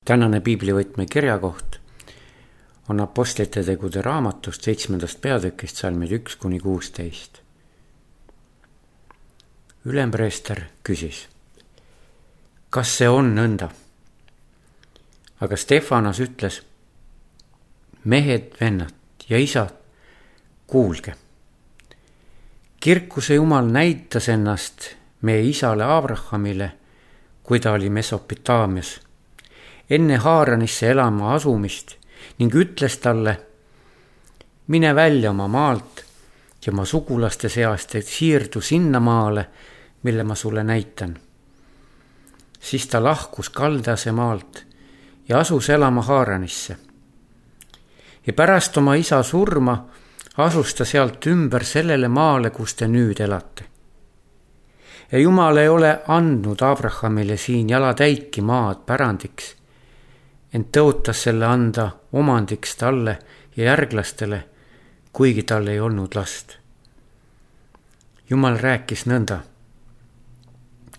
Tänane piiblivõtme kirjakoht on Apostlite tegude raamatust 7. peatükist salmid 1-16. Ülempreester küsis, kas see on nõnda? Aga Stefanos ütles, mehed, vennad ja isad, kuulge. Kirkuse Jumal näitas ennast meie isale Abrahamile, kui ta oli Mesopotaamias, enne Haaranisse elama asumist ning ütles talle, mine välja oma maalt ja oma sugulaste seast, et siirdu sinna maale, mille ma sulle näitan. Siis ta lahkus Kaldase maalt ja asus elama Haaranisse. Ja pärast oma isa surma asus ta sealt ümber sellele maale, kus te nüüd elate. Ja Jumal ei ole andnud Abrahamile siin jalatäiki maad pärandiks, ent tõotas selle anda omandiks talle ja järglastele, kuigi tal ei olnud last. Jumal rääkis nõnda.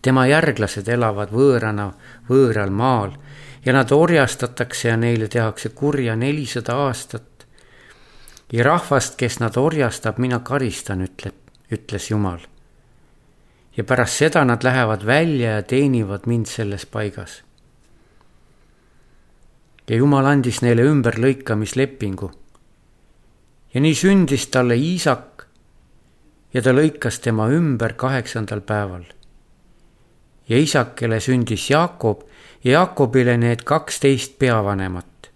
Tema järglased elavad võõrana võõral maal ja nad orjastatakse ja neile tehakse kurja 400 aastat. Ja rahvast, kes nad orjastab, mina karistan, ütles Jumal. Ja pärast seda nad lähevad välja ja teenivad mind selles paigas. Ja Jumal andis neile ümberlõikamislepingu. Ja nii sündis talle Iisak ja ta lõikas tema ümber 8. päeval. Ja Iisakele sündis Jaakob ja Jaakobile need 12 peavanemat.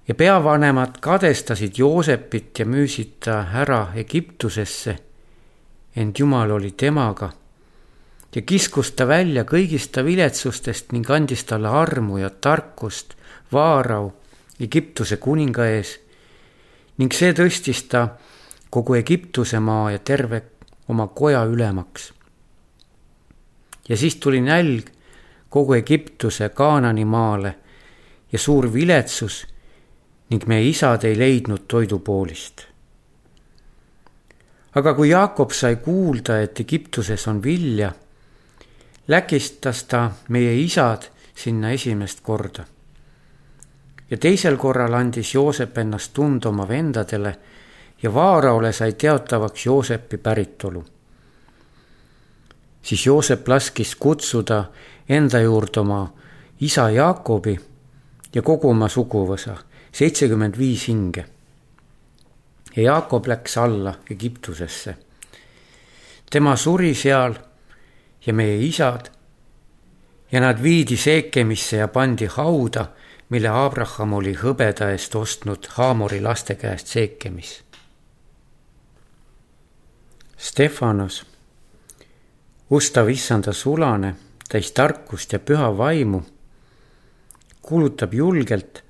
Ja peavanemad kadestasid Joosepit ja müüsid ta ära Egiptusesse, ent Jumal oli temaga ja kiskus ta välja kõigist ta viletsustest ning andis talle armu ja tarkust Vaarau Egiptuse kuninga ees ning see tõstis ta kogu Egiptuse maa ja terve oma koja ülemaks. Ja siis tuli nälg kogu Egiptuse Kaanani maale ja suur viletsus ning meie isad ei leidnud toidupoolist. Aga kui Jaakob sai kuulda, et Egiptuses on vilja, läkistas ta meie isad sinna esimest korda. Ja teisel korral andis Joosep ennast tunda oma vendadele ja Vaaraole sai teatavaks Joosepi päritolu. Siis Joosep laskis kutsuda enda juurde oma isa Jaakobi ja kogu oma suguvõsa, 75 hinge. Ja Jaakob läks alla Egiptusesse. Tema suri seal ja meie isad ja nad viidi Seekemisse ja pandi hauda, mille Abraham oli hõbeda eest ostnud Haamori laste käest Seekemis. Stefanos, ustav issanda sulane, täis tarkust ja püha vaimu, kuulutab julgelt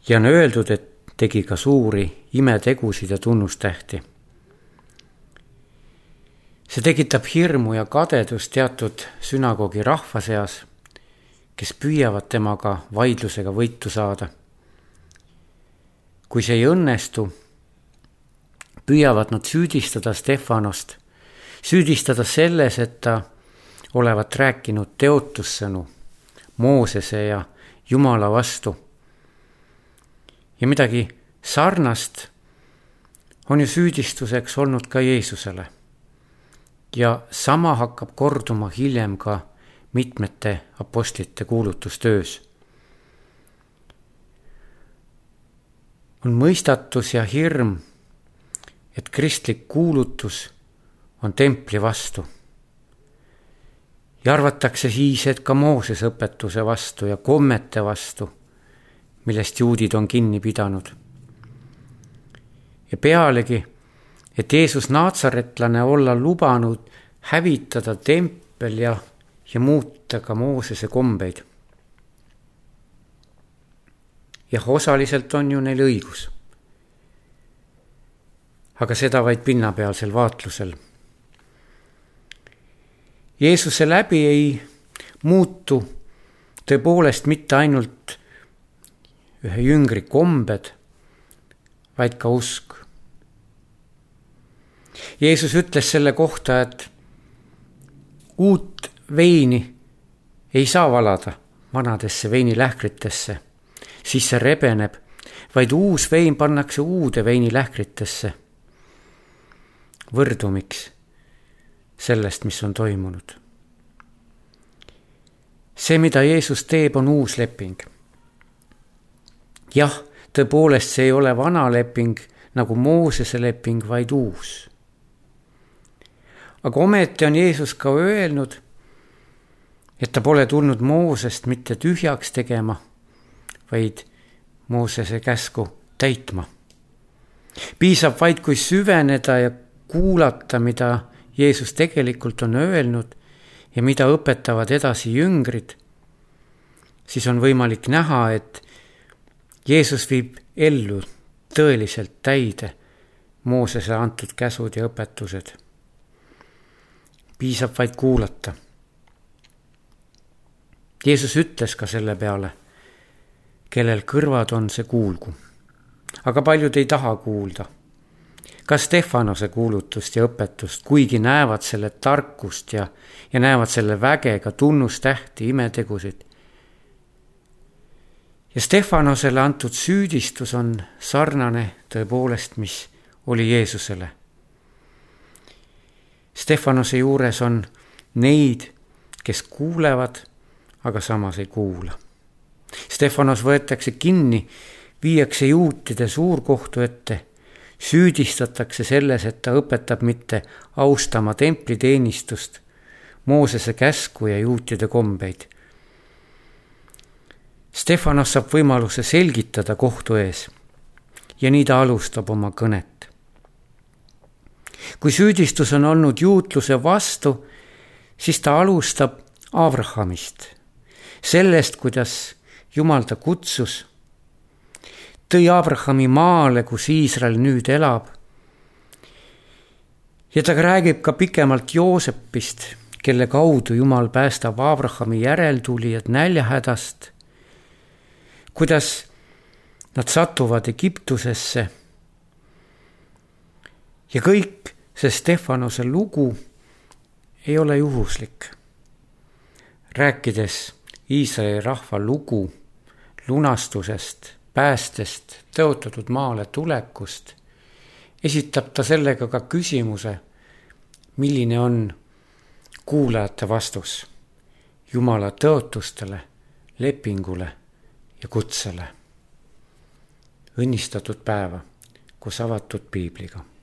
ja on öeldud, et tegi ka suuri imetegusid ja tunnustähti. See tekitab hirmu ja kadedust teatud sünagogi rahva seas, kes püüavad temaga vaidlusega võitu saada. Kui see ei õnnestu, püüavad nad süüdistada Stefanost, süüdistada selles, et ta olevat rääkinud teotussõnu Moosese ja Jumala vastu. Ja midagi sarnast on ju süüdistuseks olnud ka Jeesusele. Ja sama hakkab korduma hiljem ka mitmete apostlite kuulutustöös. On mõistatus ja hirm, et kristlik kuulutus on templi vastu. Ja arvatakse siis, et ka Moosese õpetuse vastu ja kommete vastu, millest juudid on kinni pidanud. Ja pealegi, et Jeesus naatsaretlane olla lubanud hävitada tempel ja muuta ka Moosese kombeid. Jah, osaliselt on ju neil õigus. Aga seda vaid pinnapealsel vaatlusel. Jeesuse läbi ei muutu tõepoolest mitte ainult ühe jüngri kombed, vaid ka usk. Jeesus ütles selle kohta, et uut veini ei saa valada vanadesse veinilähkritesse, siis see rebeneb, vaid uus vein pannakse uude veinilähkritesse. Võrdumiks sellest, mis on toimunud. See, mida Jeesus teeb, on uus leping. Jah, tõepoolest see ei ole vana leping nagu Moosese leping, vaid uus. Aga ometi on Jeesus ka öelnud, et ta pole tulnud Moosest mitte tühjaks tegema, vaid Moosese käsku täitma. Piisab vaid, kui süveneda ja kuulata, mida Jeesus tegelikult on öelnud ja mida õpetavad edasi jüngrid, siis on võimalik näha, et Jeesus viib ellu tõeliselt täide Moosese antud käsud ja õpetused. Piisab vaid kuulata. Jeesus ütles ka selle peale, kellel kõrvad on, see kuulgu. Aga paljud ei taha kuulda. Ka Stefanose kuulutust ja õpetust, kuigi näevad selle tarkust ja näevad selle vägega tunnustähti, imetegusid. Ja Stefanosele antud süüdistus on sarnane tõepoolest, mis oli Jeesusele. Stefanose juures on neid, kes kuulevad, aga samas ei kuula. Stefanos võetakse kinni, viiakse juutide suurkohtu ette, süüdistatakse selles, et ta õpetab mitte austama templiteenistust, Moosese käsku ja juutide kombeid. Stefanos saab võimaluse selgitada kohtu ees ja nii ta alustab oma kõnet. Kui süüdistus on olnud juutluse vastu, siis ta alustab Abrahamist, sellest, kuidas Jumal ta kutsus, tõi Abrahami maale, kus Iisrael nüüd elab. Ja ta räägib ka pikemalt Joosepist, kelle kaudu Jumal päästab Abrahami järeltulijad näljahädast, kuidas nad satuvad Egiptusesse. Ja kõik see Stefanose lugu ei ole juhuslik. Rääkides Iisraeli rahva lugu lunastusest, päästest, tõotatud maale tulekust, esitab ta sellega ka küsimuse, milline on kuulajate vastus Jumala tõotustele, lepingule ja kutsele. Õnnistatud päeva koos avatud piibliga.